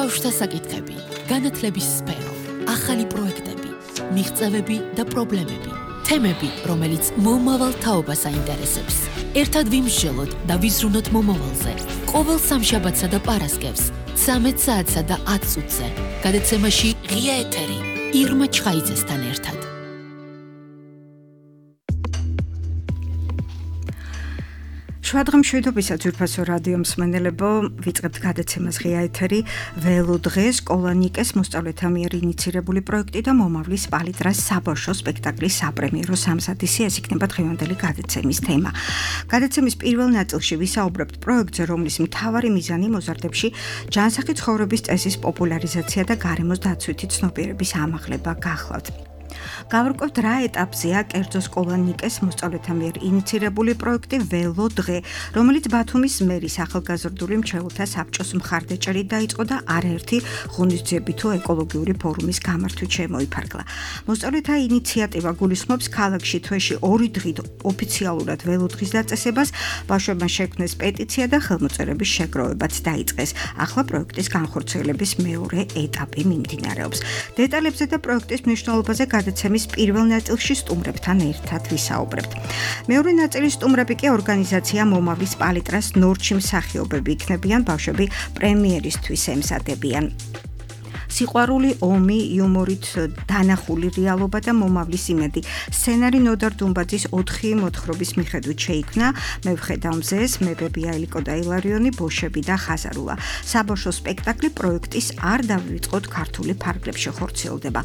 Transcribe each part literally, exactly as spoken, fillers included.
ბავშვთა საკითხები, განათლების სფერო, ახალი პროექტები, მიღწევები და პრობლემები, თემები, რომელიც მომავალ თაობას აინტერესებს. ერთად ვიმსჯელოთ და ვიზრუნოთ მომავალზე. ყოველ სამშაბათსა და პარასკევს, ცამეტ საათსა და ათ წუთზე. გადაცემაში ღია ეთერი, ირმა ჩხაიძესთან ერთად. შვადღმშვიდობისა ძვირფასო რადიო მსმენელებო, ვიწყებთ გადაცემას ღია ეთერი ველო დღეს სკოლანიკეს მოსწავლეთა მიერ ინიცირებული პროექტი და მომავლის პალიტრას საბავშვო სპექტაკლის საპრემიერო სამსათისი, ეს იქნება დღევანდელი გადაცემის თემა. გადაცემის პირველ ნაწილში ვისაუბრებთ პროექტზე, რომლის მთავარი მიზანი მოზარდებში ჯანსაღი ცხოვრების წესის პოპულარიზაცია და გარემოს დაცვითი ცნობიერების ამაღლება გახლავთ. გავარკვევთ რა ეტაპზეა კერძო სკოლანიკეს მოსწავლეთა მიერ ინიცირებული პროექტი ველო დღე, რომელიც ბათუმის მერის ახალგაზრდული მრჩეველთა საბჭოს მხარდაჭერით დაიწყო და არაერთი ღონისძიებითი თუ ეკოლოგიური ფორუმის გამართვით შემოიფარგლა. მოსწავლეთა ინიციატივა გულისხმობს ქალაქში თვეში ორი დღით ოფიციალურად ველო დღის დაწესებას, ბავშვებმა შექმნეს პეტიცია და ხელმოწერების შეგროვებაც დაიწყეს. ახლა პროექტის განხორციელების მეორე ეტაპი მიმდინარეობს. დეტალებზე და პროექტის მნიშვნელობაზე გადაცემის პირველ ნაწილში სტუმრებთან ერთად ვისაუბრებთ. მეორე ნაწილის სტუმრები კი ორგანიზაცია მომავლის პალიტრას ნორჩი მსახიობები იქნებიან, ბავშვები პრემიერისთვის ემზადებიან. სიყვარული, ომი, იუმორით დანახული რეალობა და მომავლის იმედი. სცენარი ნოდარ დუმბაძის ოთხი მოთხრობის მიხედვით შეიქმნა. მე ვხედავ მზეს, მებებია ელიკო და ილარიონი, ბოშები და ხაზარულა. საბავშვო სპექტაკლი პროექტის არ დავივიწყოთ ქართული ფარგლებში ხორციელდება.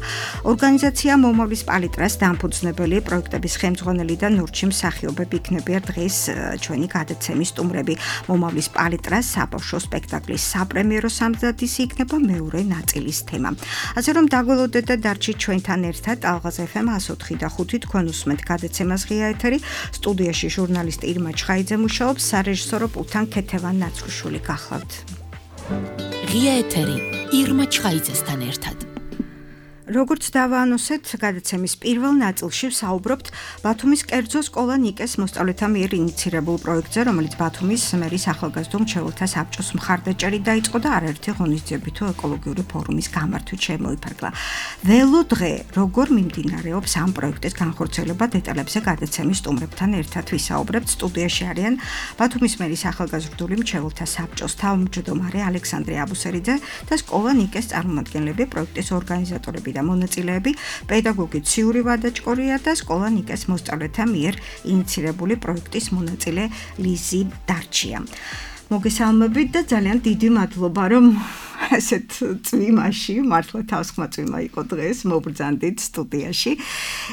ორგანიზაცია მომავლის პალიტრას დამფუძნებელი, პროექტების ხელმძღვანელი და ნორჩი მსახიობები იქნებიან დღეს ჩვენი გადაცემის სტუმრები. მომავლის პალიტრას საბავშვო სპექტაკლის საპრემიერო სამსათისი იქნება მეორე ნაწილი. თემა. ასე რომ დაგველოდეთ და დარჩით ჩვენთან ერთად ალღაზ ეფ ემ ათს ოთხი და ხუთი თქვენ უსმენთ გადაცემას ღია ეთერი. სტუდიაში ჟურნალისტი ირმა ჩხაიძე მუშაობს, სარეჟისორო პულტთან ქეთევან ნაცრუშვილი გახლავთ. ღია ეთერი ირმა ჩხაიძესთან ერთად. როგორც დავაანონსეთ, გადაცემის პირველ ნაწილში ვსაუბრობთ ბათუმის კერძო სკოლა ნიკეს მოსწავლეთა მიერ ინიცირებულ პროექტზე, რომელიც ბათუმის მერის ახალგაზრდულ მრჩეველთა საბჭოს მხარდაჭერით დაიწყო და არაერთი ღონისძიებითი ეკოლოგიური ფორუმის გამართვით შემოიფარგლა. ველო დღე, როგორ მიმდინარეობს ამ პროექტის განხორციელება, დეტალებზე გადაცემის სტუმრებთან ერთად ვისაუბრებთ. სტუდიაში არიან ბათუმის მერის ახალგაზრდული მრჩეველთა საბჭოს თავმჯდომარე ალექსანდრე აბუსერიძე და სკოლა ნიკეს წარმომადგენლები, პროექტის ორგანიზატორები და მონაწილეები, პედაგოგი ციური ვადაჭკორია და სკოლა ნიკეს მოსწავლეთა მიერ ინიცირებული პროექტის მონაწილე ლიზი დარჩია. მოგესალმებით და ძალიან დიდი მადლობა, რომ ასეთ წვიმაში, მართლა თავსხმა წვიმა იყო დღეს, მობრძანდით სტუდიაში.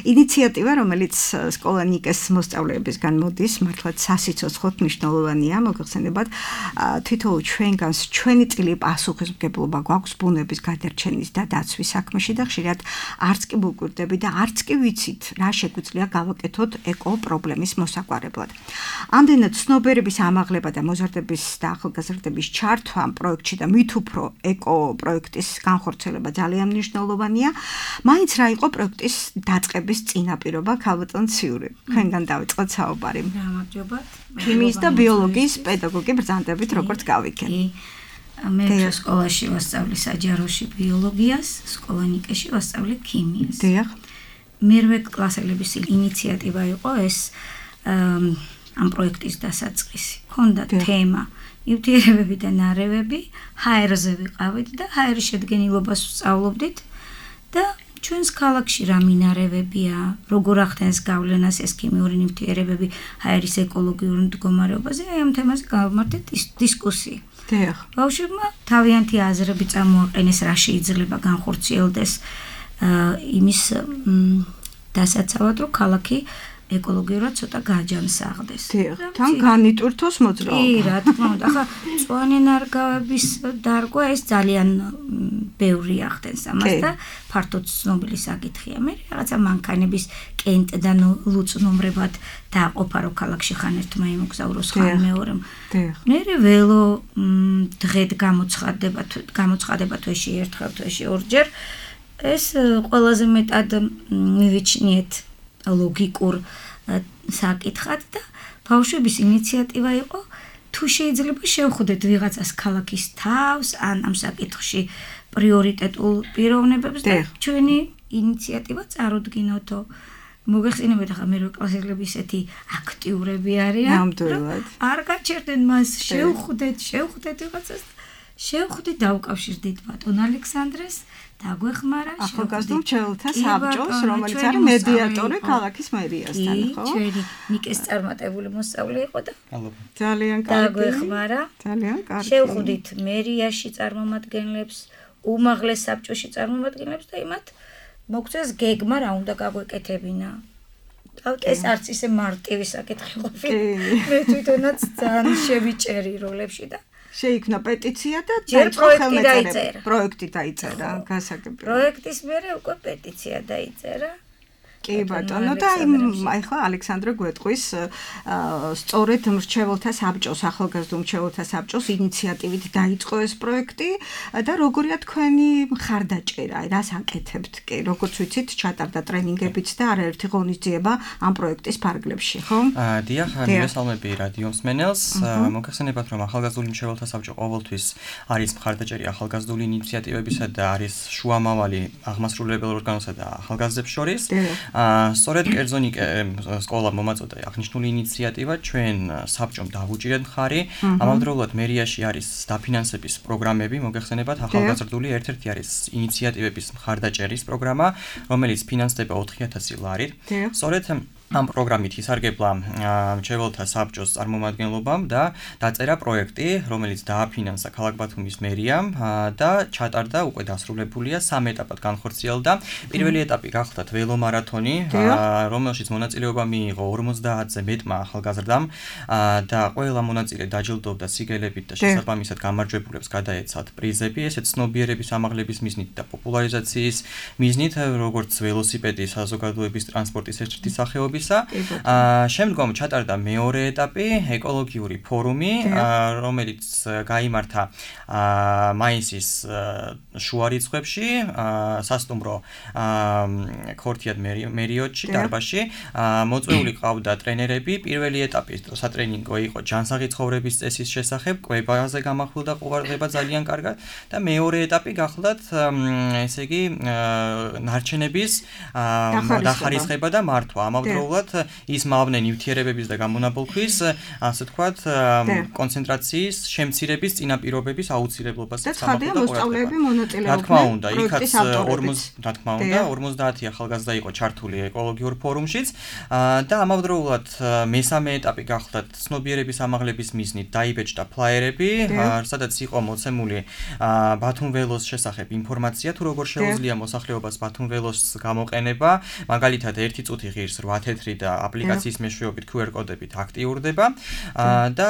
ინიციატივა, რომელიც სკოლა ნიკეს მოსწავლეებისგან მოდის, მართლაც სასიცოცხლოდ მნიშვნელოვანია. მოგეხსენებათ, თითოეულ ჩვენგანს ჩვენი წილი პასუხისმგებლობა გვაქვს ბუნების გადარჩენის და დაცვის საქმეში და ხშირად არც კი ვუკვირდები და არც კი ვიცით, რა შეგვიძლია გავაკეთოთ ეკო პრობლემის მოსაგვარებლად. ამდენად ცნობიერების ამაღლება და მოზარდების და ახალგაზრდების ჩართვა ამ პროექტში და მით უფრო ეკო პროექტის განხორციელება ძალიან მნიშვნელოვანია. მაინც რა იყო პროექტის დაწყების წინაპირობა, ქალბატონ ციური? თქვენგან დავიწყოთ საუბარი. გამარჯობათ. ქიმიის და ბიოლოგიის პედაგოგი ბრძანდებით, როგორც გავიქენ. მე სკოლაში ვასწავლი საჯაროში ბიოლოგიას, სკოლა ნიკეში ვასწავლი ქიმიას. დიახ. მერვე კლასელების ინიციატივა იყო ეს ამ პროექტის დასაწყისი. ქონდა თემა ნივთიერებები და ნარევები, ჰაერზე ვიყავით და ჰაერის შედგენილობას ვსწავლობდით და ჩვენს ქალაქში რა მინარევებია, როგორ ახდენს გავლენას ეს ქიმიური ნივთიერებები ჰაერის ეკოლოგიურ მდგომარეობაზე, აი ამ თემაზე გავმართეთ დისკუსია. დიახ. ბავშვებმა თავიანთი აზრები წამოაყენეს, რა შეიძლება განხორციელდეს იმის დასაცავად, რომ ქალაქი ეკოლოგიურად ცოტა გაჯანსაღდეს. თან განიტვირთოს მოძრაობა. კი, რა თქმა უნდა. ახლა მწვანე ნარგავების დარგვა ეს ძალიან ბევრი ახდენს ამას და ფართოდ ცნობილი საკითხია. მე რაღაცა მანქანების კენტიდან ლუწნუმრებად დააყოფა, რომ ქალაქში ხან ერთმა იმოგზაუროს, ხან მეორემ. მე ველო დღედ გამოცხადება, გამოცხადება თვეში ერთხელ, თვეში ორჯერ. ეს ყველაზე მეტად მივიჩნიეთ ლოგიკურ საკითხად და ბავშვების ინიციატივა იყო თუ თუ შეიძლება შევხვდეთ ვიღაცას ქალაქის თავს ან ამ საკითხში პრიორიტეტულ პიროვნებებს და ჩვენი ინიციატივა წარუდგინოთო. მოგეხსენებათ ახლა მერვე კლასელები ისეთი აქტიურები არიან. ნამდვილად. არ გაჩერდნენ მას შევხვდეთ, შევხვდეთ ვიღაცას. შევხვდით დავუკავშირდით ბატონ ალექსანდრეს დაგვეხმარა ახალგაზრდულ მრჩეველთა საბჭოს, რომელიც არის მედიატორი ქალაქის მერიასთან, ხო? ჩვენი ნიკეს წარმატებული მოსწავლე იყო და ძალიან კარგი. დაგვეხმარა. ძალიან კარგი. შევხვდით მერიაში წარმომადგენლებს, უმაღლეს საბჭოში წარმომადგენლებს და იმათ მოგწეს გეგმა რა უნდა გაგვეკეთებინა. ეს არც ისე მარტივი საკითხი ყოფილა. მე თვითონაც ძალიან შევიჭერი როლებში და შეიქმნა პეტიცია და დაიწყო ხელნაწერები. პროექტი დაიწერა, გასაგებია. პროექტის მერე უკვე პეტიცია დაიწერა. კი ბატონო და ახლა ალექსანდრე გვეტყვის სწორედ მრჩეველთა საბჭოს, ახალგაზრდულ მრჩეველთა საბჭოს ინიციატივით დაიწყო ეს პროექტი და როგორია თქვენი მხარდაჭერა, რას აკეთებთ კი, როგორც ვიცით, ჩატარდა ტრენინგებიც და არაერთი ღონისძიება ამ პროექტის ფარგლებში, ხო? დიახ, მივესალმები რადიო მსმენელს. მოგეხსენებათ, რომ ახალგაზრდული მრჩეველთა საბჭო ყოველთვის არის მხარდაჭერი ახალგაზრდული ინიციატივებისა და არის შუამავალი აღმასრულებელ ორგანოსა და ახალგაზრდებს შორის. სწორედ კერძონიკე სკოლა მომაწოდა აღნიშნული ინიციატივა, ჩვენ საბჭომ დავუჭირეთ მხარი. ამავდროულად მერიაში არის დაფინანსების პროგრამები, მოგეხსენებათ, ახალგაზრდული ერთ-ერთი არის ინიციატივების მხარდაჭერის პროგრამა, რომელიც ფინანსდება ოთხი ათასი ლარით. სწორედ ამ პროგრამით ისარგებლა მრჩეველთა საბჭოს წარმომადგენლობამ და დაწერა პროექტი, რომელიც დააფინანსა ქალაქ ბათუმის მერიამ და ჩატარდა უკვე დასრულებულია სამ ეტაპად განხორციელდა. პირველი ეტაპი გახლდათ ველომარათონი, რომელშიც მონაწილეობა მიიღო ორმოცდაათზე მეტმა ახალგაზრდამ და ყველა მონაწილე დაჯილდოვდა სიგელებით და შესაბამისად გამარჯვებულებს გადაეცათ პრიზები, ესეც ცნობიერების ამაღლების მიზნით და პოპულარიზაციის მიზნით, როგორც ველოსიპედი საზოგადოების ტრანსპორტის ერთ-ერთი სახეობისა. შემდგომ ჩატარდა მეორე ეტაპი, ეკოლოგიური ფორუმი, რომელიც გაიმართა მაისის შუა რიცხვებში, სასტუმრო ქორთიად მერიოტში, დარბაზში. მოწვეული ყავდა ტრენერები. პირველი ეტაპი სატრენინგო იყო ჯანსაღი ცხოვრების წესის შესახებ, კვებაზე გამახვილდა ყურადღება ძალიან კარგად და მეორე ეტაპი გახლდათ, ესე იგი, ნარჩენების დახარისხება და მართვა. ამავდროულად ის მავნენ ნივთიერებების და გამონაბოლქვის, ასე ვთქვათ, კონცენტრაციის შემცირების წინაპირობების აუცილებლობასაც გამახვილდა მოსწავლეები მონაწილეობდნენ. რა თქმა უნდა, იქაც რა თქმა უნდა, ორმოცდაათი ახალგაზრდა იყო ჩართული ეკოლოგიურ ფორუმშიც და ამავდროულად მესამე ეტაპი გახლდათ ცნობიერების ამაღლების მიზნით დაიბეჭდა ფლაიერები, სადაც იყო მოცემული ბათუმ ველოს შესახებ ინფორმაცია, თუ როგორ შეუძლია მოსახლეობას ბათუმ ველოს გამოყენება, მაგალითად ერთი წუთი ღირს რვა თეთრი და აპლიკაციის მეშვეობით ქიუ არ კოდებით აქტიურდება და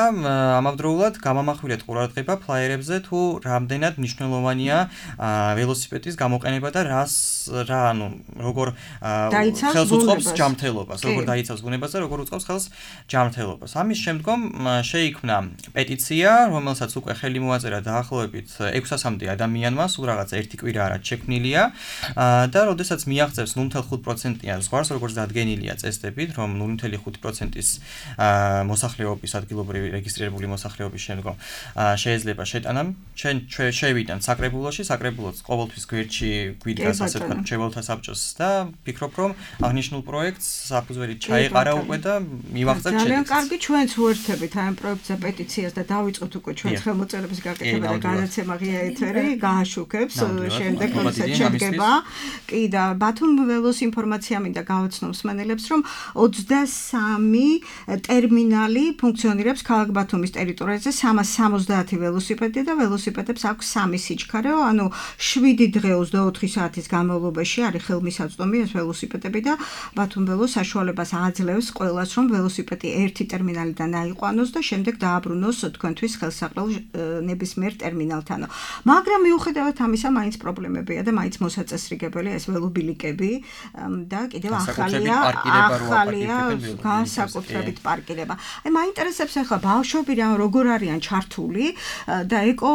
ამავდროულად გამამახვილეთ ყურადღება ფლაიერებზე, თუ რამდენად მნიშვნელოვანია ველოსიპედის გამოყენება და რას რა ანუ როგორ ხელს უწყობს ჯანმრთელობას, როგორ დაიცავს ბუნებას და როგორ უწყობს ხელს ჯანმრთელობას. ამის შემდგომ შეიქმნა პეტიცია, რომელსაც უკვე ხელი მოაწერა დაახლოებით ექვსასამდე ადამიანმა, სულ რაღაც ერთი კვირა არა შექმნილია და როდესაც მიაღწევს ნული ათეული ხუთი პროცენტიან ზღვარს, როგორც დადგენილია წესდებით, რომ ნული ათეული ხუთი პროცენტის მოსახლეობის ადგილობრივი რეგისტრირებული მოსახლეობის შემდგომ შეიძლება შეტანა. ჩვენ შევიდან საკრებულოში, საკრებულოც ყოველთვის გვერდში გვიდგას ასე ვთქვათ მრჩეველთა საბჭოს და ფიქრობ, რომ აღნიშნულ პროექტს საფუძველი ჩაეყარა უკვე და მივაღწევთ შედეგს. ძალიან კარგი, ჩვენც უერთდებით ამ პროექტზე პეტიციას და დავიწყოთ უკვე ჩვენს ხელმოწერების გაკეთება და გადაცემა ღია ეთერი გააშუქებს შემდეგ როდესაც შედგება. კი და ბათუმ ველოს ინფორმაცია მინდა გავაცნო მსმენელებს, რომ ოცდასამი ტერმინალი ფუნქციონირებს ქალაქ ბათუმის ტერიტორიაზე, სამას სამოცდაათი ველოსიპედი და ველოსიპედებს აქვს სამი სიჩქარეო, ანუ შვიდი დღე ოცდაოთხი საათის განმავლობაში არის ხელმისაწვდომი ეს ველოსიპედები და ბათუმ ველოს საშუალებას აძლევს ყველას, რომ ველოსიპედი ერთი ტერმინალიდან აიყვანოს და შემდეგ დააბრუნოს თქვენთვის ხელსაყრელ ნებისმიერ ტერმინალთანო. მაგრამ მიუხედავად ამისა, მაინც პრობლემებია და მაინც მოსაწესრიგებელია ეს ველობილიკები და კიდევ ახალია ახალია განსაკუთრებით პარკირება. აი მაინტერესებს ახლა ბავშვები რა როგორ არიან ჩართული და ეკო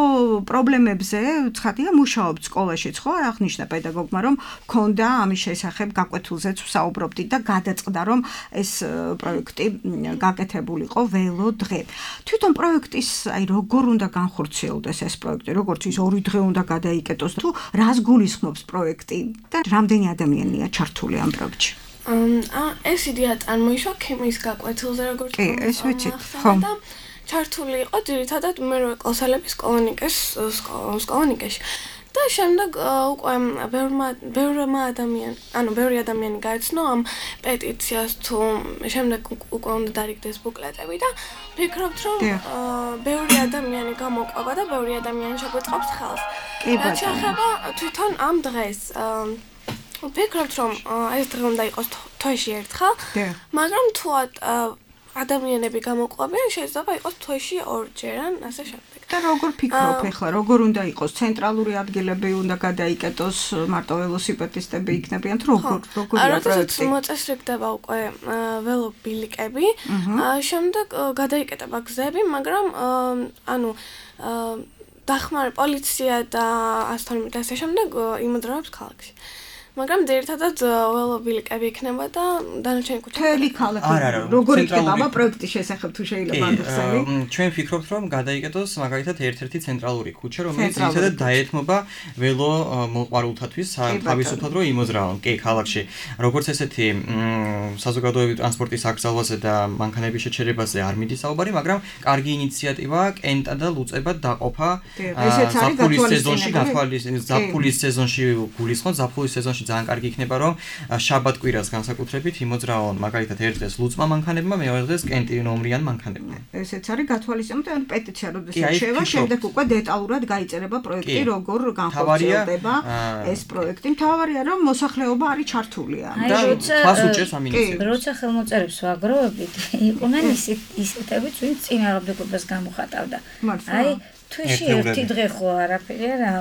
პრობლემებზე ცხადია მუშაობთ სკოლაშიც ხო? აღნიშნა პედაგოგმა რომ ქონდა ამის შესახებ გაკვეთილზეც ვსაუბრობდით და გადაწყდა რომ ეს პროექტი გაკეთებულიყო ველო დღე. თვითონ პროექტის აი როგორ უნდა განხორციელდეს ეს პროექტი, როგორც ის ორი დღე უნდა გადაიკეტოს თუ რას გულისხმობს პროექტი და რამდენი ადამიანია ჩართული ამ პროექტში? აა ეს იდეა წარმოიშვა ქიმიის გაკვეთილზე როგორც კი, ეს ვიცით, ხო. და ჩართული იყო ძირითადად მერვე კლასელების სკოლანიკეს სკოლანიკეში. და შემდეგ უკვე ბევრმა ბევრმა ადამიან, ანუ ბევრი ადამიანი გაეცნო ამ პეტიციას თუ შემდეგ უკვე უნდა დარიგდეს ბუკლეტები და ვფიქრობთ რომ ბევრი ადამიანი გამოყვება და ბევრი ადამიანი შეგვეწყობს ხელს. რაც შეეხება თვითონ ამ დღეს ვფიქრობთ რომ ეს დღე უნდა იყოს თვეში ერთხელ, მაგრამ თუ ადამიანები გამოყვებიან შეიძლება იყოს თვეში ორჯერ ან ასე შემდეგ. და როგორ ფიქრობ ახლა როგორ უნდა იყოს ცენტრალური ადგილები უნდა გადაიკეტოს მარტო ველოსიპედისტები იქნებიან თუ როგორ როგორია პროექტი? როდესაც მოწესრიგდება უკვე ველობილიკები, შემდეგ გადაიკეტება გზები, მაგრამ ანუ დახმარე პოლიცია და ასთორმით ასე შემდეგ იმოძრავებს ქალაქში. მაგრამ ძირითადად ველობილიკები იქნება და დანარჩენი ქუჩა. მთელი ქალაქი როგორ იქნება ამ პროექტის შესახებ თუ შეიძლება ამბობსავი? ჩვენ ვფიქრობთ რომ გადაიკეტოს მაგალითად ერთ-ერთი ცენტრალური ქუჩა, რომელიც ძირითადად დაეთმობა ველო მოყვარულთათვის, თავისუფლად რომ იმოძრავონ კი ქალაქში. როგორც ესეთი საზოგადოებრივი ტრანსპორტის აკრძალვაზე და მანქანების შეჩერებაზე არ მიდის საუბარი, მაგრამ კარგი ინიციატივაა კენტა და ლუწება დაყოფა ზაფხულის სეზონში, ზაფხულის სეზონში გულისხმობ, ზაფხულის სეზონში ძალიან კარგი იქნება რომ შაბათ-კვირას განსაკუთრებით იმოძრავონ მაგალითად ერთ დღეს ლუწმა მანქანებმა, მეორე დღეს კენტი ნომრიან მანქანებმა. ესეც არის გათვალისწინებული, ან პეტიცია როდესაც შევა, შემდეგ უკვე დეტალურად გაიწერება პროექტი, როგორ განხორციელდება ეს პროექტი. მთავარია რომ მოსახლეობა არის ჩართული ამ და ხას უჭერს ამ ინიციატივას. როცა ხელმოწერებს ვაგროვებით, იყვნენ ისეთები, ვინც წინააღმდეგობას გამოხატავდა. აი თვეში ერთი დღე ხო არაფერი არა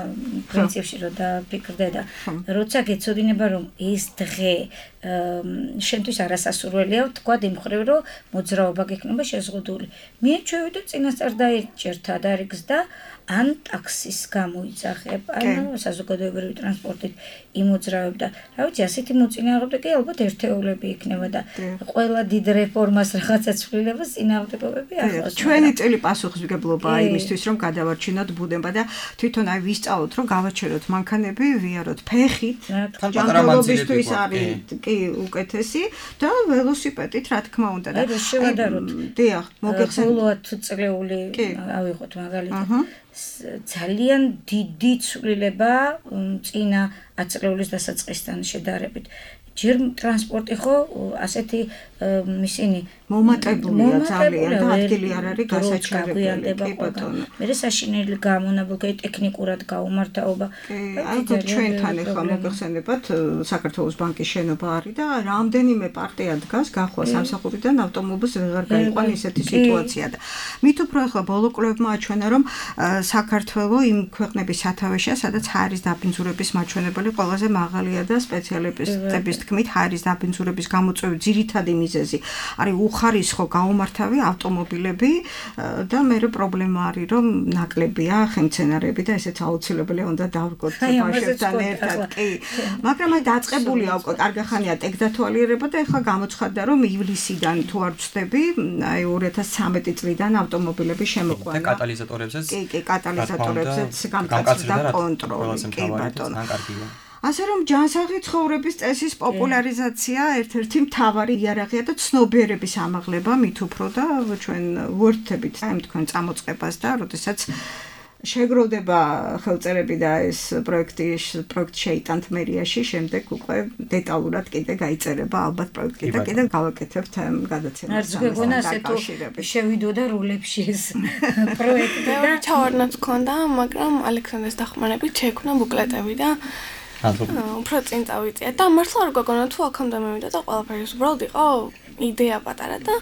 პრინციპში რომ დაფიქრდე და როცა გეცოდინება რომ ეს დღე შენთვის არასასურველია თქვა იმ ხრივ რომ მოძრაობა გექნება შეზღუდული. მე ჩვევიდო წინასწარ დაიჭერთ ადარიგს და ან ტაქსის გამოიძახებ, ან საზოგადოებრივი ტრანსპორტით იმოძრავებ და რა ვიცი, ასეთი მოწინააღმდეგე ალბათ ერთეულები იქნება და ყველა დიდ რეფორმას რაღაცა ცვლილებას წინააღმდეგობები ახლავს. ჩვენი წელი პასუხისმგებლობაა იმისთვის, რომ გადავარჩინოთ ბუდება და თვითონ აი ვისწავლოთ, რომ გავაჩეროთ მანქანები, ვიაროთ ფეხით. ჯანმრთელობისთვის არის კი უკეთესი და ველოსიპედით რა თქმა უნდა და შევადაროთ. დიახ, მოგეხსენებათ წლეული ავიღოთ მაგალითად. ძალიან დიდი ცვლილება წინა ათწლეულის დასაწყისთან შედარებით. ჯერ ტრანსპორტი ხო ასეთი ისინი მომატებულია ძალიან და ადგილი არ არის გასაჩერებელი. კი ბატონო. მე საშინელი გამონაბოლქე ტექნიკურად გაუმართაობა. აი ჩვენთან ახლა მოგეხსენებათ საქართველოს ბანკის შენობა არის და რამდენიმე პარტია დგას გახვა სამსახურიდან ავტომობილს ვეღარ გაიყვან ისეთი სიტუაცია და მით უფრო ახლა ბოლო კვლევებმა აჩვენა რომ საქართველოს იმ ქვეყნების სათავეშია სადაც ჰაერის დაბინძურების მაჩვენებელი ყველაზე მაღალია და სპეციალისტების თქმით ჰაერის დაბინძურების გამოწვევის ძირითადი მიზეზი არის უხარისხო გაუმართავი ავტომობილები და მე პრობლემა არის რომ ნაკლებია ხემცენარები და ესეც აუცილებელია უნდა დავგოთ ბავშვებთან ერთად კი მაგრამ აი დაწყებულია უკვე კარგახანია ტექდათვალიერება და ეხლა გამოცხადდა რომ ივლისიდან თუ არ ვცდები აი ორი ათას ცხრამეტი წლიდან ავტომობილები შემოყვანა და კატალიზატორებზეც კი კი კატალიზატორებზეც გამკაცდა კონტროლი კი ბატონო ასე რომ ჯანსაღი ცხოვრების წესის პოპულარიზაცია ერთ-ერთი მთავარი იარაღია და ცნობიერების ამაღლება მით უფრო და ჩვენ ვუერთდებით ამ თქვენ წამოწყებას და როდესაც შეგროვდება ხელწერები და ეს პროექტი პროექტი შეიტანთ მერიაში, შემდეგ უკვე დეტალურად კიდე გაიწერება ალბათ პროექტი და კიდე გავაკეთებთ ამ გადაცემას. არც გეგონა ასე თუ შევიდოდა როლებში ეს პროექტი და ჩავარდნაც ქონდა, მაგრამ ალექსანდრეს დახმარებით შექმნა ბუკლეტები და უფრო წინ წავიწია და მართლა არ გაგონა თუ აქამდე მივიდა და ყველაფერი უბრალოდ იყო იდეა პატარა და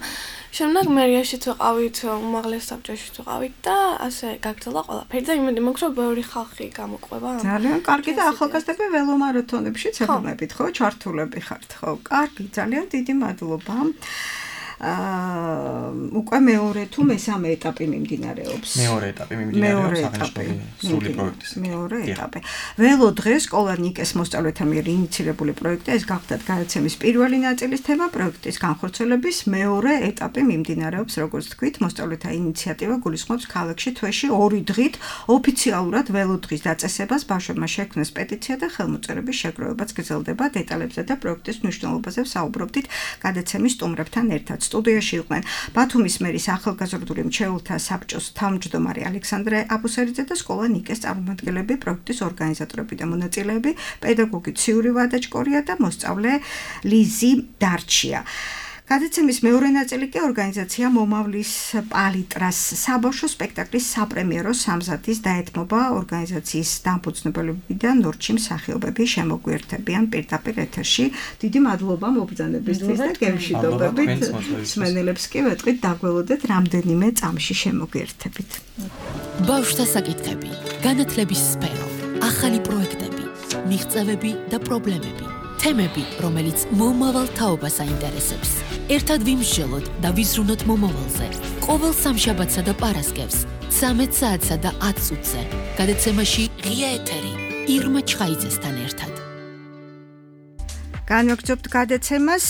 შემდეგ მერიაშიც ვიყავით, უმაღლეს საბჭოშიც ვიყავით და ასე გაგრძელდა ყველაფერი და იმედი მაქვს, რომ ბევრი ხალხი გამოყვება. ძალიან კარგი და ახალგაზრდები ველომარათონებშიც ეხმებით, ხო, ჩართულები ხართ, ხო? კარგი, ძალიან დიდი მადლობა. აა უკვე მეორე თუ მესამე ეტაპი მიმდინარეობს. მეორე ეტაპი მიმდინარეობს აღნიშნული სრული პროექტის. მეორე ეტაპი. ველო დღეს სკოლა ნიკეს მოსწავლეთა მიერ ინიციირებული პროექტი ეს გახდათ გადაცემის პირველი ნაწილის თემა პროექტის განხორციელების მეორე ეტაპი მიმდინარეობს, როგორც თქვით, მოსწავლეთა ინიციატივა გულისხმობს ქალაქში თვეში ორი დღით ოფიციალურად ველო დღის დაწესებას ბავშვებმა შექმნეს პეტიცია და ხელმოწერების შეგროვებაც გრძელდება. დეტალებზე და პროექტის მნიშვნელობაზე ვსაუბრობდით გადაცემის სტუმრებთან ერთად. სტუდიაში იყვნენ ბათუმის მერის ახალგაზრდული მრჩეველთა საბჭოს თავმჯდომარე ალექსანდრე აბუსერიძე და სკოლა ნიკეს წარმომადგენლები, პროექტის ორგანიზატორები და მონაწილეები, პედაგოგი ციური ვადაჭკორია და მოსწავლე ლიზი დარჩია. გადაცემის მეორე ნაწილი კი ორგანიზაცია მომავლის პალიტრას საბავშვო სპექტაკლის საპრემიერო სამზადის დაეთმობა ორგანიზაციის დამფუძნებელებიდან ნორჩი მსახიობები შემოგვიერთებიან პირდაპირ ეთერში. დიდი მადლობა მობრძანებისთვის და გემშვიდობებით. მსმენელებს კი ვეტყვით დაგველოდეთ რამდენიმე წამში შემოგვიერთებით. ბავშვთა საკითხები, განათლების სფერო, ახალი პროექტები, მიღწევები და პრობლემები. თემები, რომელიც მომავალ თაობას აინტერესებს. ერთად ვიმსჯელოთ და ვიზრუნოთ მომავალზე. ყოველ სამშაბათსა და პარასკევს, ცამეტ საათსა და ათ წუთზე. გადაცემაში ღია ეთერი ირმა ჩხაიძესთან ერთად. განვაგრძობთ გადაცემას,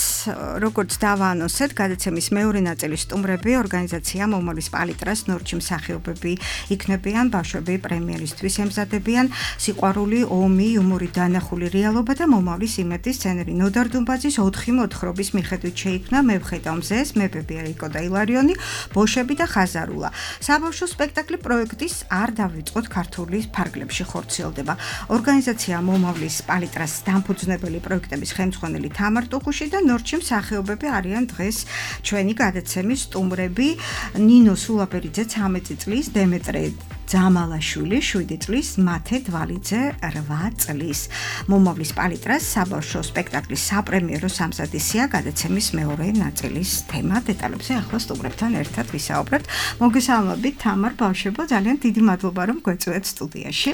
როგორც დავაანონსეთ, გადაცემის მეორე ნაწილის სტუმრები ორგანიზაცია მომავლის პალიტრას ნორჩი მსახიობები იქნებიან, ბავშვები პრემიერისთვის ემზადებიან, სიყვარული, ომი, იუმორი, დანახული რეალობა და მომავლის იმედი სცენარი. ნოდარ დუმბაძის ოთხი მოთხრობის მიხედვით შეიქმნა მე ვხედავ მზეს, მეფები ერიკო და ილარიონი, ბოშები და ხაზარულა. საბავშვო სპექტაკლი პროექტის არ დავიწყოთ ქართული ფარგლებში ხორციელდება. ორგანიზაცია მომავლის პალიტრას დამფუძნებელი პროექტების ხელმძღვანელი თამარ ტუხუში და ნორჩი მსახიობები არიან დღეს ჩვენი გადაცემის სტუმრები. ნინო სულაპერიძე ცამეტი წლის, დემეტრე ძამალაშვილი შვიდი წლის, მათე დვალიძე რვა წლის. მომავლის პალიტრას საბავშვო სპექტაკლის საპრემიერო სამზადისია გადაცემის მეორე ნაწილის თემა. დეტალებზე ახლა სტუმრებთან ერთად ვისაუბრებთ. მოგესალმებით თამარ, ბავშვებო, ძალიან დიდი მადლობა რომ გვეწვევთ სტუდიაში.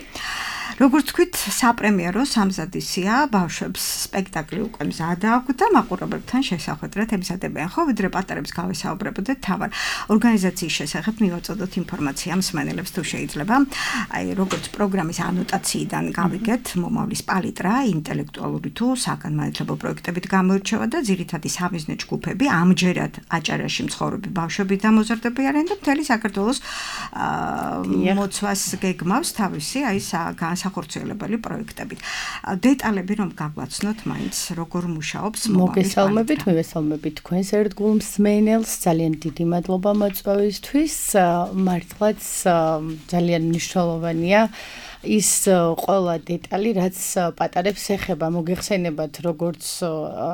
როგორც თქვით, საპრემიერო სამზადისია, ბავშვებს სპექტაკლი უკვე მზადა აქვთ და მაყურებლებთან შესახვედრად ემზადებიან, ხო, ვიდრე პატარებს გავესაუბრებოდეთ თამარ. ორგანიზაციის შესახებ მივაწოდოთ ინფორმაცია მსმენელებს თუ შეიძლება. აი, როგორც პროგრამის ანოტაციიდან გავიგეთ, მომავლის პალიტრა ინტელექტუალური თუ საგანმანათლებლო პროექტებით გამოირჩევა და ძირითადი სამიზნე ჯგუფები ამჯერად აჭარაში მცხოვრები ბავშვები და მოზარდები არიან და მთელი საქართველოს მოცვას გეგმავს თავისი აი განსახორციელებელი პროექტებით. დეტალები რომ გაგვაცნოთ, მაინც როგორ მუშაობს მომავლის პალიტრა. მოგესალმებით, მივესალმებით თქვენს ერთგულ მსმენელს, ძალიან დიდი მადლობა მოწვევისთვის. მართლაც ძალიან მნიშვნელოვანია ის ყველა დეტალი, რაც პატარებს ეხება, მოგეხსენებათ, როგორც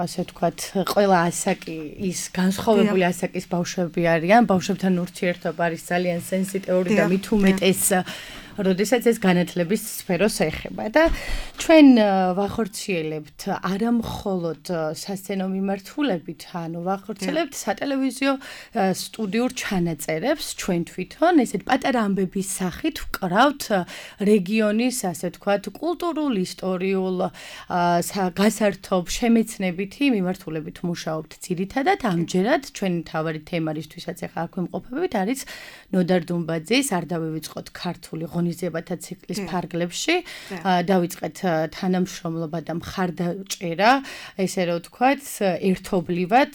ასე ვთქვათ, ყველა ასაკი ის განსხვავებული ასაკის ბავშვები არიან, ბავშვებთან ურთიერთობა არის ძალიან სენსიტიური და მით უმეტეს როდესაც ეს განათლების სფეროს ეხება და ჩვენ ვახორციელებთ არა მხოლოდ სასცენო მიმართულებით, ანუ ვახორციელებთ სატელევიზიო სტუდიურ ჩანაწერებს ჩვენ თვითონ, ესეთ პატარა ამბების სახით ვკრავთ რეგიონის, ასე ვთქვათ, კულტურულ, ისტორიულ, გასართობ, შემეცნებითი მიმართულებით მუშაობთ ძირითადად. ამჯერად ჩვენი მთავარი თემა, რისთვისაც ახლა აქ ვიმყოფებით, არის ნოდარ დუმბაძის არ დავივიწყოთ ქართული ღონისძიებათა ციკლის ფარგლებში. დავიწყეთ თანამშრომლობა და მხარდაჭერა, ესე რომ ვთქვათ, ერთობლივად,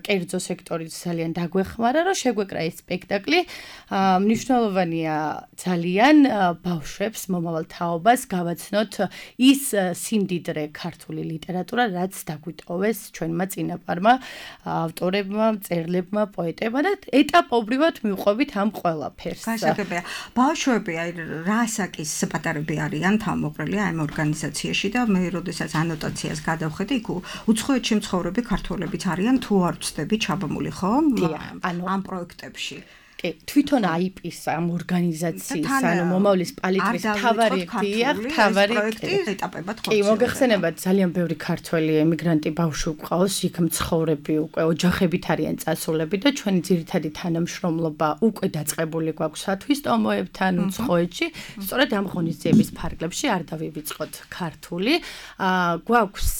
კერძო სექტორიც ძალიან დაგვეხმარა, რომ შეგვეკრა ეს სპექტაკლი. მნიშვნელოვანია ძალიან ბავშვებს, მომავალ თაობას გავაცნოთ ის სიმდიდრე ქართული ლიტერატურა, რაც დაგვიტოვეს ჩვენმა წინაპარმა, ავტორებმა, მწერლებმა, პოეტებმა და ეტაპობრივად მივყვებით ამ ყველაფერს. გასაგებია, ბავშვები აი რა ასაკის პატარები არიან თავმოყრილი ამ ორგანიზაციაში და მე როდესაც ანოტაციას გადავხედე, იქ უცხოეთში მცხოვრები ქართველებიც არიან თუ არ ვწდები ჩაბმული, ხო? ამ პროექტებში. კი, თვითონ აიპის ამ ორგანიზაციის, ანუ მომავლის პალიტრის თავარი დიახ, თავარი ეტაპებად ხო. კი, მოგეხსენებათ, ძალიან ბევრი ქართველი ემიგრანტი ბავშვი გვყავს, იქ მცხოვრები უკვე ოჯახებით არიან წასულები და ჩვენი ძირითადი თანამშრომლობა უკვე დაწყებული გვაქვს სათვის ტომოებთან უცხოეთში. სწორედ ამ ღონისძიების ფარგლებში არ დავივიწყოთ ქართული. აა გვაქვს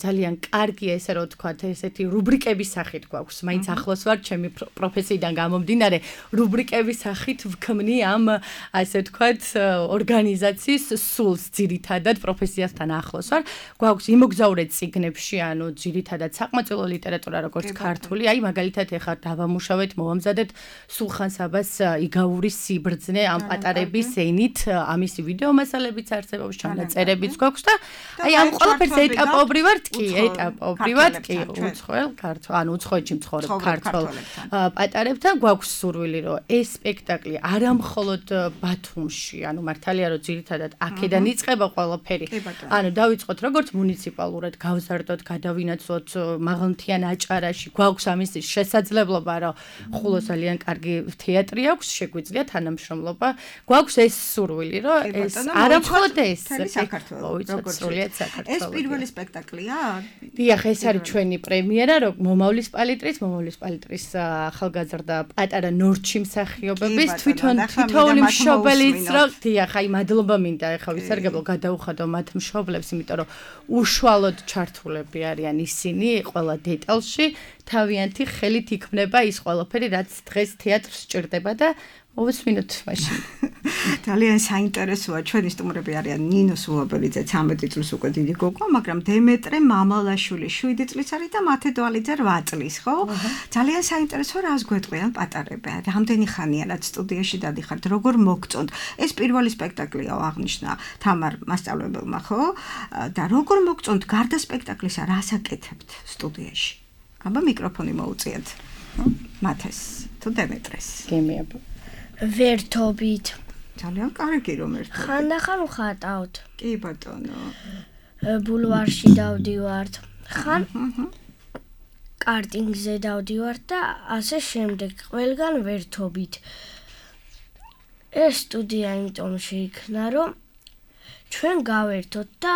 ძალიან კარგი ესე რომ ვთქვათ, ესეთი რუბრიკების სახით გვაქვს. მაინც ახლოს ვარ ჩემი პროფესიიდან გამომდინარე, რუბრიკების სახით ვქმნი ამ ასე ვთქვათ ორგანიზაციის სულს ძირითადად პროფესიასთან ახლოს ვარ. გვაქვს იმოგზაურე წიგნებში, ანუ ძირითადად საყმაწვილო ლიტერატურა როგორც ქართული, აი მაგალითად ეხლა დავამუშავეთ, მოვამზადეთ სულხან საბას იგავური სიბრძნე ამ პატარების ენით, ამისი ვიდეო მასალებიც არსებობს, ჩანაწერებიც გვაქვს და აი ამ ყველაფერს ეტაპობრივად კი, ეტაპობრივად კი, უცხოელ ქართულ, ანუ უცხოეთში მცხოვრებ ქართულ პატარებთან გვაქვს სურვილი, რომ ეს სპექტაკლი არა მხოლოდ ბათუმში, ანუ მართალია რომ ძირითადად აქედან იწყება ყველაფერი. ანუ დავიწყოთ როგორც მუნიციპალურად გავზარდოთ, გადავინაცვლოთ მაღალმთიან აჭარაში, გვაქვს ამის შესაძლებლობა, რომ ხულოს ძალიან კარგი თეატრი აქვს, შეგვიძლია თანამშრომლობა. გვაქვს ეს სურვილი, რომ ეს არა მხოლოდ ეს საქართველოს სრულიად საქართველოს. ეს პირველი სპექტაკლია? დიახ, ეს არის ჩვენი პრემიერა, რომ მომავლის პალიტრის, მომავლის პალიტრის ახალგაზრდა პატარა ნორჩი მსახიობების თვითონ თითოეული მშობელიც რომ დიახ, აი მადლობა მინდა ეხლა ვისარგებლო გადაუხადო მათ მშობლებს, იმიტომ რომ უშუალოდ ჩართულები არიან ისინი ყველა დეტალში, თავიანთი ხელით იქმნება ის ყველაფერი, რაც დღეს თეატრს სჭირდება და მოვესმინოთ მაშინ. ძალიან საინტერესოა, ჩვენი სტუმრები არიან ნინო სულობელიძე ცამეტი წლის უკვე დიდი გოგო, მაგრამ დემეტრე მამალაშვილი შვიდი წლის არის და მათე დვალიძე რვა წლის, ხო? ძალიან საინტერესოა, რას გვეტყვიან პატარები. რამდენი ხანია რაც სტუდიაში დადიხართ, როგორ მოგწონთ? ეს პირველი სპექტაკლია აღნიშნა თამარ მასწავლებელმა, ხო? და როგორ მოგწონთ გარდა სპექტაკლისა, რას აკეთებთ სტუდიაში? აბა მიკროფონი მოუწიეთ. მათეს თუ დემეტრეს. გემიაბა. ვერთობით. ძალიან კარგი რომ ერთად. ხანდახან ვხატავთ. კი ბატონო. ბულვარში დავდივართ. ხან კარტინგზე დავდივართ და ასე შემდეგ. ყველგან ვერთობით. ეს სტუდია იმიტომ შეიქმნა, რომ ჩვენ გავერთოთ და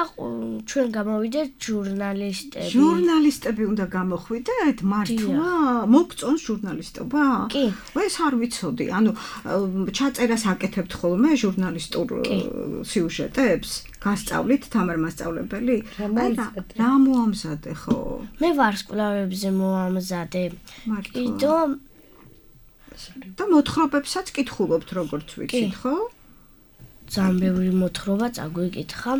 ჩვენ გამოვიდეთ ჟურნალისტები. ჟურნალისტები უნდა გამოხვიდეთ? მართლა? მოგწონს ჟურნალისტობა? კი. ეს არ ვიცოდი. ანუ ჩაწერას აკეთებთ ხოლმე ჟურნალისტურ სიუჟეტებს? გასწავლით თამარ მასწავლებელი? რა მოამზადე ხო? მე ვარსკვლავებზე მოამზადე. კიდო და მოთხრობებსაც კითხულობთ როგორც ვიცით, ხო? ძალიან ბევრი მოთხრობა წაგვიკითხა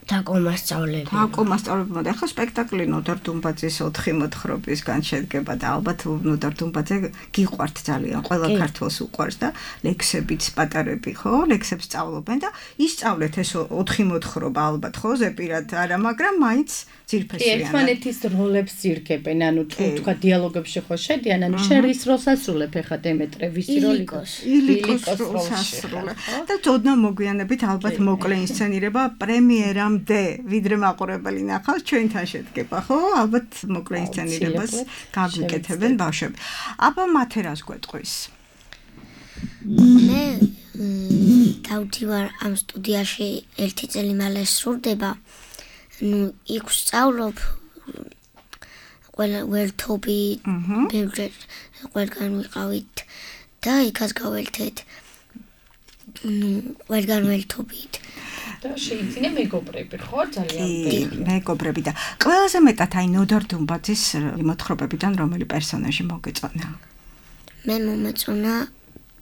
დაკო მასწავლებელი. დაკო მასწავლებელმა და ახლა სპექტაკლი ნოდარ დუმბაძის ოთხი მოთხრობისგან შედგება და ალბათ ნოდარ დუმბაძე გიყვართ ძალიან, ყველა ქართველს უყვარს და ლექსებიც პატარები, ხო? ლექსებს სწავლობენ და ისწავლეთ ეს ოთხი მოთხრობა ალბათ, ხო? ზეპირად არა, მაგრამ მაინც ძირფესიანად. ერთმანეთის როლებს ძირგებენ, ანუ თუ თქვა დიალოგებში ხო შედიან, ანუ შენ რის როლს ასრულებ ახლა დემეტრე, ვისი როლი გქონს? ილიკოს როლს ასრულებ. და თოდნა მოგვიანებით ალბათ მოკლე ინსცენირება პრემიერამდე, ვიდრე მაყურებელი ნახავს, ჩვენთან შედგება, ხო? ალბათ მოკლე ინსცენირებას გაგვიკეთებენ ბავშვები. აბა მათე რას გვეტყვის? მე დავდივარ ამ სტუდიაში ერთი წელი მალე სრულდება. ну იქ ვსწავლობ ყველა ვერთობი ბევრი ყველგან ვიყავით და იქაც გაველთეთ ну ყველგან ვერთობით და შეიძლება მეგობრები ხო ძალიან ბევრი მეგობრები და ყველაზე მეტად აი ნოდარ დუმბაძის მოთხრობებიდან რომელი პერსონაჟი მოგეწონა? მე მომეწონა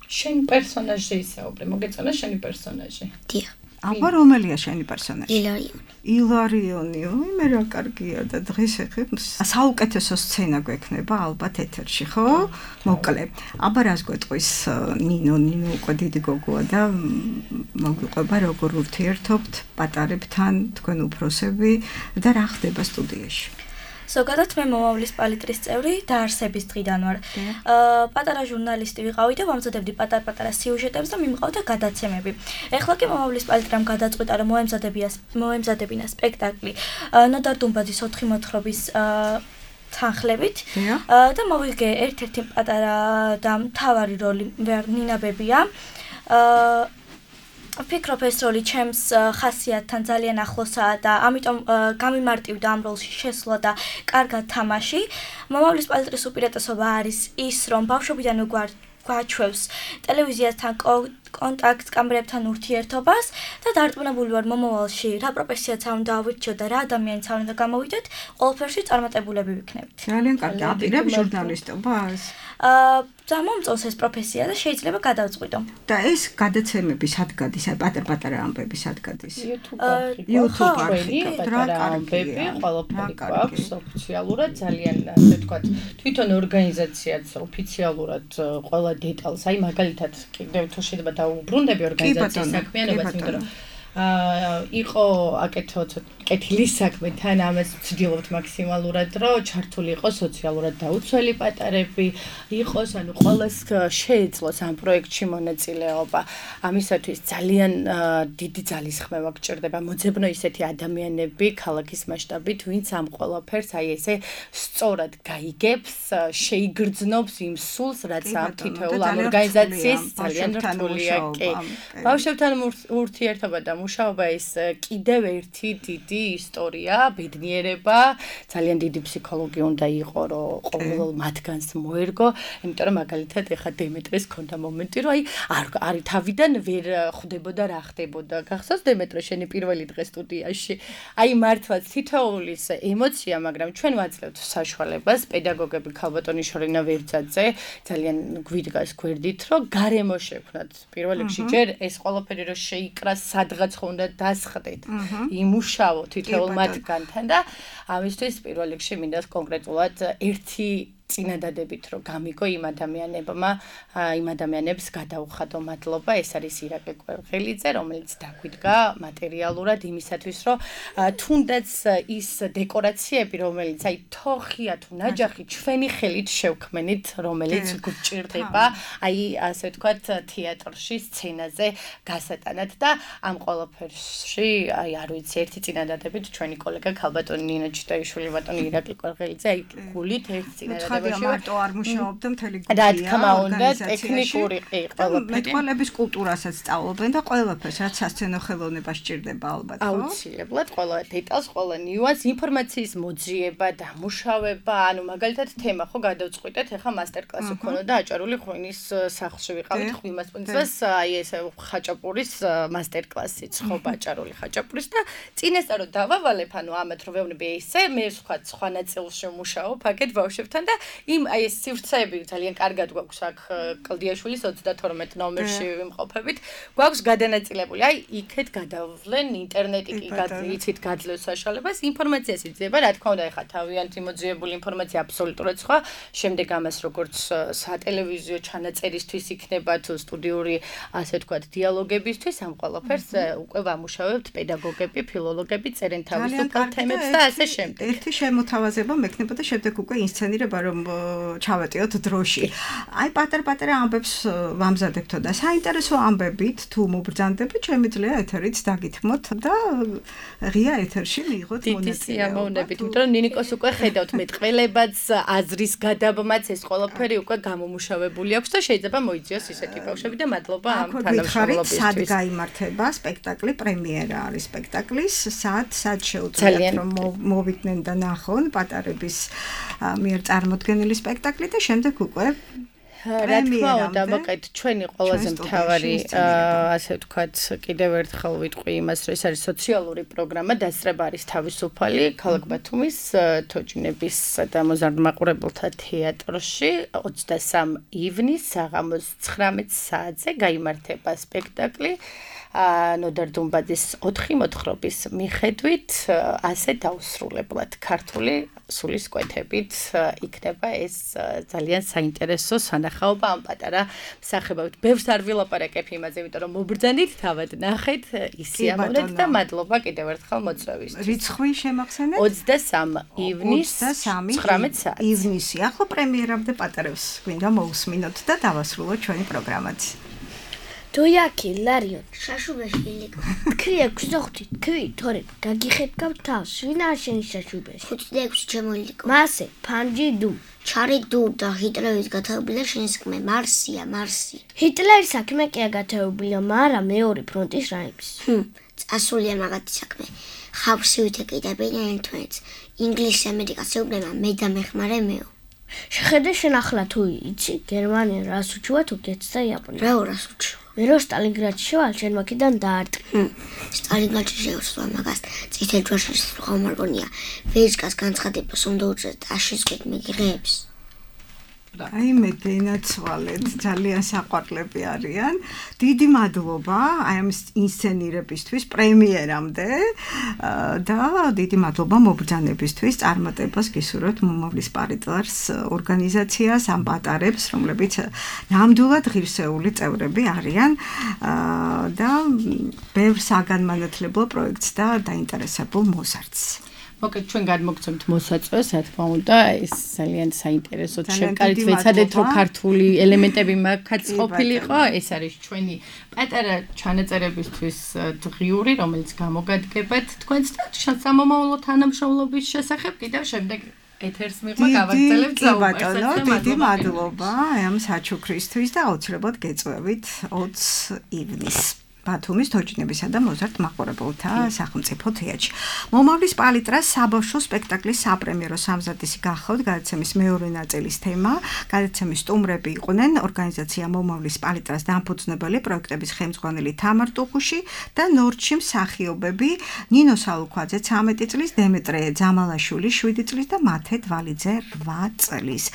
შენი პერსონაჟი ისაუბრე მოგეწონა შენი პერსონაჟი დიახ აბა რომელია შენი პერსონაჟი? ილარიონი. ილარიონი, ой, მე რა კარგია და დღეს ეხებ საუკეთესო სცენა გვექნება ალბათ ეთერში, ხო? მოკლე. აბა რას გვეტყვის ნინო, ნინო უკვე დიდი გოგოა და მოგვიყვება როგორ ურთიერთობთ პატარებთან, თქვენ უფროსები და რა ხდება სტუდიაში? ზოგადად მე მომავლის პალიტრის წევრი დაარსების დღიდან ვარ. აა პატარა ჟურნალისტი ვიყავი და ვამზადებდი პატარ-პატარა სიუჟეტებს და მიმყავდა გადაცემები. ეხლა კი მომავლის პალიტრამ გადაწყვიტა რომ მოემზადებია მოემზადებინა სპექტაკლი ნოდარ დუმბაძის ოთხი მოთხრობის აა თანხლებით და მოვიგე ერთ-ერთი პატარა და მთავარი როლი ნინა ბებია. ვფიქრობ ეს როლი ჩემს ხასიათთან ძალიან ახლოსაა და ამიტომ გამიმარტივდა ამ როლში შესვლა და კარგად თამაში. მომავლის პალიტრის უპირატესობა არის ის, რომ ბავშვობიდან გვაჩვევს ტელევიზიასთან კონტაქტს, კამერებთან ურთიერთობას და დარწმუნებული ვარ მომავალში რა პროფესიაც არ უნდა ავირჩიოთ და რა ადამიანიც არ უნდა გამოვიდეთ, ყველაფერში წარმატებულები ვიქნებით. ძალიან კარგი, აპირებ ჟურნალისტობას? აა და მომწონს ეს პროფესია და შეიძლება გადავწყვიტო. და ეს გადაცემები სად გადის? აი პატარ-პატარა ამბები სად გადის? YouTube-ში პატარა ამბები, ყველაფერი გვაქვს ოფიციალურად, ძალიან ასე ვთქვათ, თვითონ ორგანიზაციაც ოფიციალურად ყველა დეტალს, აი მაგალითად კიდევ თუ შეიძლება დაუბრუნდები ორგანიზაციის საქმიანობას, იმიტომ რომ აა იყო აკეთო კეთილი საქმე, თან ამას ვცდილობთ მაქსიმალურად, რომ ჩართული იყოს სოციალურად დაუცველი პატარები, იყოს, ანუ ყველას შეეძლოს ამ პროექტში მონაწილეობა. ამისათვის ძალიან დიდი ძალისხმევა გჭირდება, მოძებნო ისეთი ადამიანები ქალაქის მასშტაბით, ვინც ამ ყველაფერს აი ესე სწორად გაიგებს, შეიგრძნობს იმ სულს, რაც ამ თითოეულ ამ ორგანიზაციის ძალიან რთულია. კი. ბავშვებთან ურთიერთობა და მუშაობა ის კიდევ ერთი დიდი ისტორია, ბედნიერება, ძალიან დიდი ფსიქოლოგი უნდა იყო, რომ ყოველ მათგანს მოერგო, იმიტომ რომ მაგალითად ეხა დემეტრეს ქონდა მომენტი, რომ აი არ არ თავიდან ვერ ხვდებოდა რა ხდებოდა. გახსოვს დემეტრე შენი პირველი დღე სტუდიაში? აი მართლაც თითოეულის ემოცია, მაგრამ ჩვენ ვაძლევთ საშუალებას, პედაგოგები ქალბატონიშვილინა ვერძაძე ძალიან გვიდგას გვერდით, რომ გარემო შექმნათ. პირველ რიგში ჯერ ეს ყველაფერი რომ შეიკრას სადღაც უნდა დასხდეთ, იმუშაო თითოეულ მათგანთან და ამისთვის პირველ რიგში მინდა კონკრეტულად ერთი წინადადებით რომ გამიგო იმ ადამიანებმა, იმ ადამიანებს გადაუხადო მადლობა, ეს არის ირაკლი კვერღელიძე, რომელიც დაგვიდგა მატერიალურად იმისათვის, რომ თუნდაც ის დეკორაციები, რომელიც აი თოხია თუ ნაჯახი ჩვენი ხელით შევქმნით, რომელიც გვჭირდება, აი ასე ვთქვათ, თეატრში, სცენაზე გასატანად და ამ ყველაფერში, აი არ ვიცი, ერთი წინადადებით ჩვენი კოლეგა ქალბატონი ნინა ჩიტაიშვილი, ბატონი ირაკლი კვერღელიძე, აი გულით ერთ წინადადებით მარტო არ მუშაობდა მთელი გუნდია. რა თქმა უნდა, ტექნიკური კი ყველაფერი. მეტყველების კულტურასაც სწავლობენ და ყველაფერს, რაც სასცენო ხელოვნება სჭირდება ალბათ, ხო? აუცილებლად, ყველა დეტალს, ყველა ნიუანს, ინფორმაციის მოძიება, დამუშავება, ანუ მაგალითად თემა ხო გადავწყვიტეთ, ეხა მასტერკლასი ქონოდა აჭარული ღვინის სახლში ვიყავით ღვინმასპინძლას, აი ესე ხაჭაპურის მასტერკლასიც ხო აჭარული ხაჭაპურის და წინასწარ რომ დავავალებ, ანუ ამათ რომ ვეუბნები ესე, მე ვსვათ სხვა ნაწილში მუშაობ, აქეთ ბავშვებთან და იმ აი ეს სივრცეები ძალიან კარგად გვაქვს აქ კლდიაშვილის ოცდათორმეტ ნომერში ვიმყოფებით. გვაქვს გადანაწილებული. აი იქეთ გადავლენ ინტერნეტი კი გაძლევით გაძლევს საშუალებას, ინფორმაციას იძება, რა თქმა უნდა, ეხა თავიანთი მოძიებული ინფორმაცია აბსოლუტურად სხვა. შემდეგ ამას როგორც სატელევიზიო ჩანაწერისთვის იქნება თუ სტუდიური ასე ვთქვათ დიალოგებისთვის ამ ყველაფერს უკვე ვამუშავებთ პედაგოგები, ფილოლოგები, წერენ თავისუფალ თემებს და ასე შემდეგ. ერთი შემოთავაზება მექნება და შემდეგ უკვე ინსცენირება რომ ჩავეტიოთ დროში. აი პატარ-პატარა ამბებს ვამზადებთო და საინტერესო ამბებით თუ მობრძანდებით, შემიძლია ეთერით დაგითმოთ და ღია ეთერში მიიღოთ მონაწილეობა. დიდი სიამოვნებით, იმიტომ რომ ნინიკოს უკვე ხედავთ მეტყველებაც, აზრის გადაბმაც ეს ყველაფერი უკვე გამომუშავებული აქვს და შეიძლება მოიძიოს ისეთი ბავშვები და მადლობა ამ თანამშრომლობისთვის. სად გაიმართება სპექტაკლი, პრემიერა არის სპექტაკლის, სად, სად შეუძლიათ რომ მოვიდნენ და ნახონ პატარების მიერ წარმოდგენილი სპექტაკლი და შემდეგ უკვე რა თქმა უნდა, მოკეთ ჩვენი ყველაზე მთავარი ასე ვთქვათ, კიდევ ერთხელ ვიტყვი იმას, რომ ეს არის სოციალური პროგრამა, დასწრება არის თავისუფალი ქალაქ ბათუმის თოჯინების და მოზარდმაყურებელთა თეატრში ოცდასამი ივნისს საღამოს ცხრამეტ საათზე გაიმართება სპექტაკლი. ნოდარ დუმბაძის ოთხი მოთხრობის მიხედვით ასე დაუსრულებლად ქართული სულისკვეთებით იქნება ეს ძალიან საინტერესო სანახაობა ამ პატარა მსახიობებით. ბევრს არ ვილაპარაკებ იმაზე, იმიტომ რომ მობრძანით, თავად ნახეთ, ისიამოვნეთ და მადლობა კიდევ ერთხელ მოწვევისთვის. რიცხვი შემახსენეთ? ოცდასამი ივნისს ცხრამეტ საათს. ივნისი. ახლა პრემიერამდე პატარებს გვინდა მოусმინოთ და დავასრულოთ ჩვენი პროგრამაც. თოიაკი ლარიონ შაშუბეში ილიკო თქვია გზოხთით თქვი თორე გაგიხეთკავ თავს ვინა შენი შაშუბეში ხუთი და ექვსი შემოილიკო მასე ფანჯი დუ ჩარი დუ და ჰიტლერის გათაობილა შენი საქმე მარსია მარსი ჰიტლერის საქმე კი აგათაობილა მაგრამ მეორე ფრონტის რაიმის წასულია მაგათი საქმე ხავსი ვითეკიდებიან ერთმანეთს ინგლისს ამერიკას ეუბნება მე და მეხმარე მეო შეხედე შენ ახლა თუ იცი გერმანია რას უჩუა თურქეთს და იაპონია რა რას უჩუა მე რო სტალინგრადში შევარ შენ მაქედან დაარტყი სტალინგრადში შევსვა მაგას წითელ ჯვარში ხომარგონია ვეჟკას განცხადებას უნდა უწევთ აშისკვით მიგიღებს აი მე დენაცვალეთ ძალიან საყვარლები არიან დიდი მადლობა აი ამ ინსცენირებისთვის პრემიერამდე და დიდი მადლობა მობრძანებისთვის წარმატებას გისურვებთ მომავლის პალიტრას ორგანიზაციას ამ პატარებს რომლებიც ნამდვილად ღირსეული წევრები არიან და ბევრ საგანმანათლებლო პროექტს და დაინტერესებულ მოზარდს მოკლედ ჩვენ გადმოგცემთ მოსაწვევს, რა თქმა უნდა, ეს ძალიან საინტერესო შევკარით ვეცადეთ, რომ ქართული ელემენტები მაგაც ყოფილიყო, ეს არის ჩვენი პატარა ჩანაწერებისთვის დღიური, რომელიც გამოგადგებათ თქვენს და სამომავლო თანამშრომლობის შესახებ კიდევ შემდეგ ეთერს მიღმა გავაგრძელებთ საუბარს. დიდი მადლობა ამ საჩუქრისთვის და აუცილებლად გეწევით ოცი ივნისს. ბათუმის თოჯინებისა და მოზარდ მაყურებელთა სახელმწიფო თეატრში. მომავლის პალიტრას საბავშვო სპექტაკლის საპრემიერო სამზადისი გახავთ გადაცემის მეორე ნაწილის თემა. გადაცემის სტუმრები იყვნენ ორგანიზაცია მომავლის პალიტრას დამფუძნებელი პროექტების ხელმძღვანელი თამარ ტუხუში და ნორჩი მსახიობები ნინო სალუქვაძე ცამეტი წლის, დემეტრე ძამალაშვილი შვიდი წლის და მათე დვალიძე რვა წლის.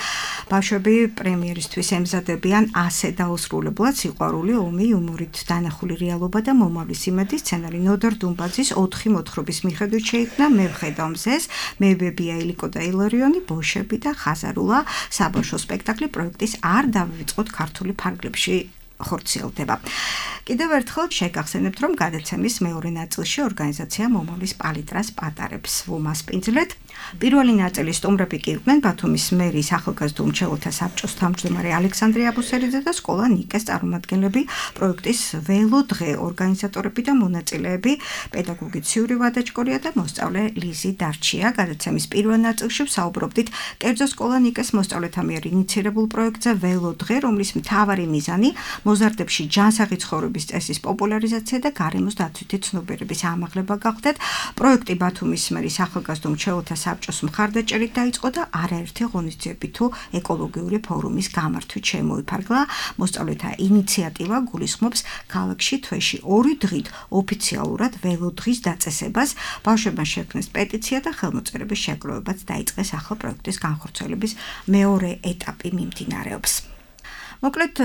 ბავშვები პრემიერისთვის ემზადებიან ასე დაუსრულებლად სიყვარული, ომი, იუმორით დანახული რეალობა და მომავლის იმედი სცენარი ნოდარ დუმბაძის ოთხი მოთხრობის მიხედვით შეიქმნა მე ვხედავ მზეს, მე ბებია ილიკო და ილარიონი, ბოშები და ხაზარულა საბავშვო სპექტაკლი პროექტის არ დავივიწყოთ ქართული ფარგლებში ხორციელდება. კიდევ ერთხელ შეგახსენებთ, რომ გადაცემის მეორე ნაწილში ორგანიზაცია მომავლის პალიტრას პატარებს ვუმასპინძლეთ. პირველი ნაწილის სტუმრები კი იყვნენ ბათუმის მერის ახალგაზრდა უმრჩეველთა საბჭოს თავმჯდომარე ალექსანდრე აბუსელიძე და სკოლა ნიკეს წარმომადგენლები, პროექტის ველო დღე ორგანიზატორები და მონაწილეები, პედაგოგი ციური ვადაჭკორია და მოსწავლე ლიზი დარჩია. გადაცემის პირველ ნაწილში ვსაუბრობდით კერძო სკოლა ნიკეს მოსწავლეთა მიერ ინიცირებულ პროექტზე ველო დღე, რომლის მთავარი მიზანი მოზარდებში ჯანსაღი ცხოვრების წესის პოპულარიზაცია და გარემოს დაცვითი ცნობიერების ამაღლება გახდათ. პროექტი ბათუმის მერის ახალგაზრდა უმრჩეველთა საბჭოს მხარდაჭერით დაიწყო და არაერთი ღონისძიებითი თუ ეკოლოგიური ფორუმის გამართვით შემოიფარგლა. მოსწავლეთა ინიციატივა გულისხმობს ქალაქში თვეში ორი დღით ოფიციალურად ველოდღის დაწესებას. ბავშვებმა შექმნეს პეტიცია და ხელმოწერების შეგროვებაც დაიწყეს ახალ პროექტის განხორციელების მეორე ეტაპი მიმდინარეობს. მოკლედ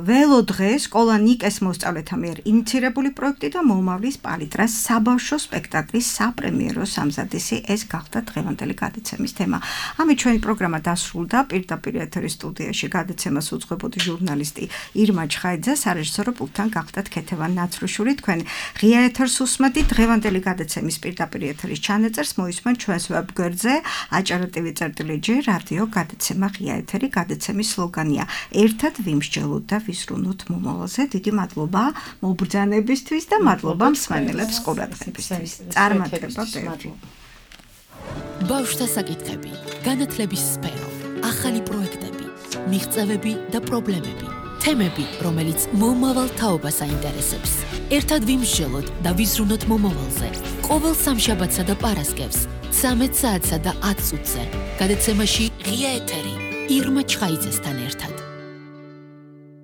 ველო დღე სკოლა ნიკეს მოსწავლეთა მიერ ინიცირებული პროექტი და მომავლის პალიტრას საბავშვო სპექტაკლის საპრემიერო სამზადისი ეს გახდა დღევანდელი გადაცემის თემა. ამით ჩვენი პროგრამა დასრულდა. პირდაპირ ეთერის სტუდიაში გადაცემას უძღვებოდი ჟურნალისტი ირმა ჩხაიძე, სარეჟისორო პულტთან გახდათ ქეთევან ნაცრუშვილი. თქვენ ღია ეთერს უსმენთ. დღევანდელი გადაცემის პირდაპირ ეთერის ჩანაწერს მოისმენთ ჩვენს ვებგვერდზე აჭარა.ტვ წერტილი ჯი რადიო გადაცემა ღია ეთერი. გადაცემის სლოგანია ერთად ვიმსჯელოთ და ვისრუნოთ მომავალზე. დიდი მადლობა მობრძანებისთვის და მადლობა მსმენელებს ყურადღებისთვის. წარმატება ბევრი. ბავშვთა საკითხები, განათლების სფერო, ახალი პროექტები, მიღწევები და პრობლემები, თემები, რომელიც მომავალ თაობას აინტერესებს. ერთად ვიმსჯელოთ და ვისრუნოთ მომავალზე. ყოველ სამშაბათსა და პარასკევს, ცამეტ საათსა და ათ წუთზე. გადაცემაში ღია ეთერი ირმა ჩხაიძესთან ერთად.